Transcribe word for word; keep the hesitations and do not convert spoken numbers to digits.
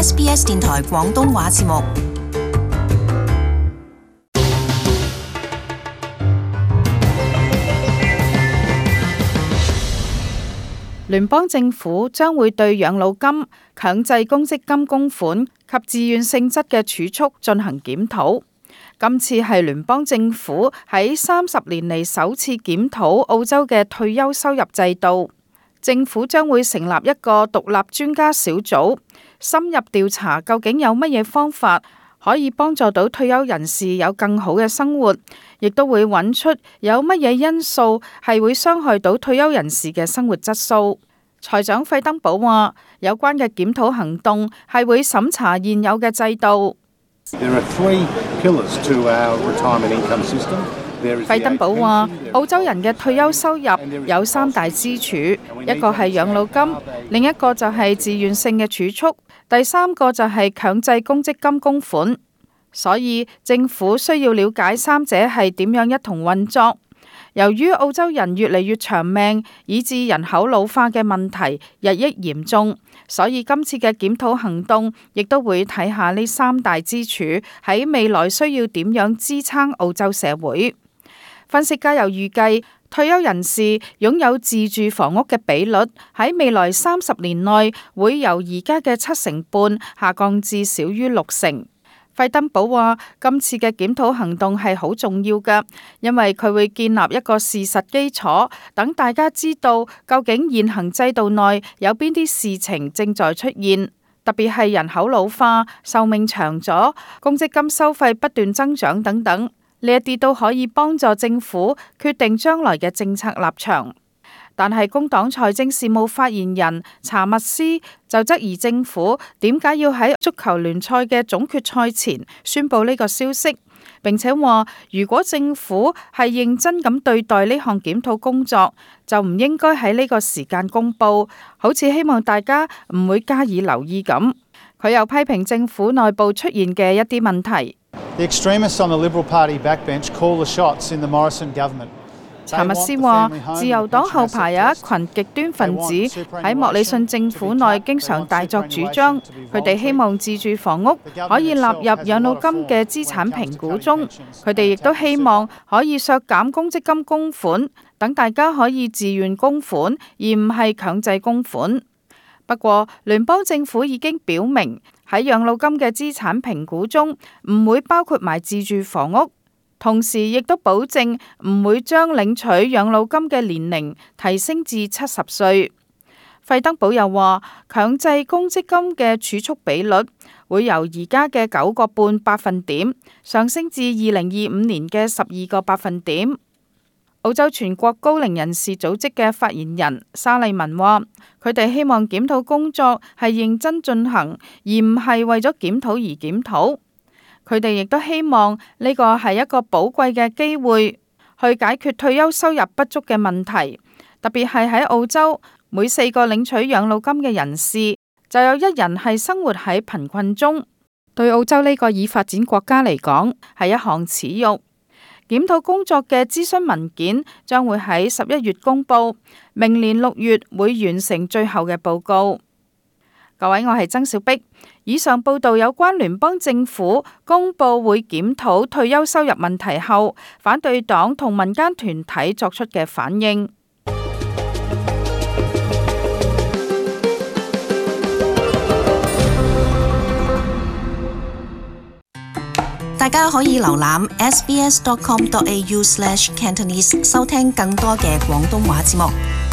S B S 電台廣東話節目。聯邦政府將會對養老金、強制公積金供款及自願性質嘅儲蓄進行檢討。今次係聯邦政府喺三十年嚟首次檢討澳洲嘅退休收入制度。政府將會成立一個獨立專家小組，深入調查究竟有乜嘢方法可以幫助到退休人士有更好嘅生活，亦都會揾出有乜嘢因素係會傷害到退休人士嘅生活質素。財長費登堡話，有關嘅檢討行動係會審查現有嘅制度。費登堡話，澳洲人嘅退休收入有三大支柱，一個係養老金，另一個就係自願性嘅儲蓄，第三個就係強制公積金供款。所以政府需要了解三者係點樣一同運作。由於澳洲人越嚟越長命，以致人口老化嘅問題日益嚴重，所以今次嘅檢討行動亦都會睇下呢三大支柱喺未來需要點樣支撐澳洲社會。分析家又預計，退休人士擁有自住房屋嘅比率喺未來三十年內會由而家嘅七成半下降至少於六成。費登堡話，今次嘅檢討行動係好重要㗎，因為佢會建立一個事實基礎，等大家知道究竟現行制度內有邊啲事情正在出現，特別係人口老化、壽命長咗、公積金收費不斷增長等等，呢一啲都可以幫助政府決定將來嘅政策立場。但係工黨財政事務發言人查密斯就質疑政府點解要喺足球聯賽嘅總決賽前宣佈呢個消息，並且話如果政府係認真咁對待呢項檢討工作，就唔應該喺呢個時間公佈，好似希望大家唔會加以留意咁。佢又批評政府內部出現嘅一啲問題。The extremists on the Liberal Party backbench call the shots in the Morrison government. 查密斯話，自由黨後排有一群極端分子喺莫里遜政府內經常大作主張，佢哋希望自住房屋可以納入養老金嘅資產評估中，佢哋亦都希望可以削減公積金供款，等大家可以自願供款，而唔係強制供款。不過，聯邦政府已經表明喺養老金嘅資產評估中唔會包括埋自住房屋。同時亦都保證唔會將領取養老金嘅年齡提升至七十歲。費登堡又話，強制公積金嘅儲蓄比率會由而家嘅九個半百分點上升至二零二五年嘅十二個百分點。澳洲全國高齡人士組織嘅發言人沙利文話，佢哋希望檢討工作係認真進行，而唔係為咗檢討而檢討。佢哋亦都希望呢個係一個寶貴嘅機會，去解決退休收入不足嘅問題。特別係喺澳洲，每四個領取養老金嘅人士，就有一人係生活喺貧困中。對澳洲呢個已發展國家嚟講，係一項恥辱。檢討工作嘅諮詢文件將會喺十一月公佈，明年六月會完成最後嘅報告。各位，我係曾小碧。以上報道有關聯邦政府公佈會檢討退休收入問題後，反對黨同民間團體作出嘅反應。大家可以瀏覽 s b s dot com dot a u slash cantonese 收聽更多嘅廣東話節目。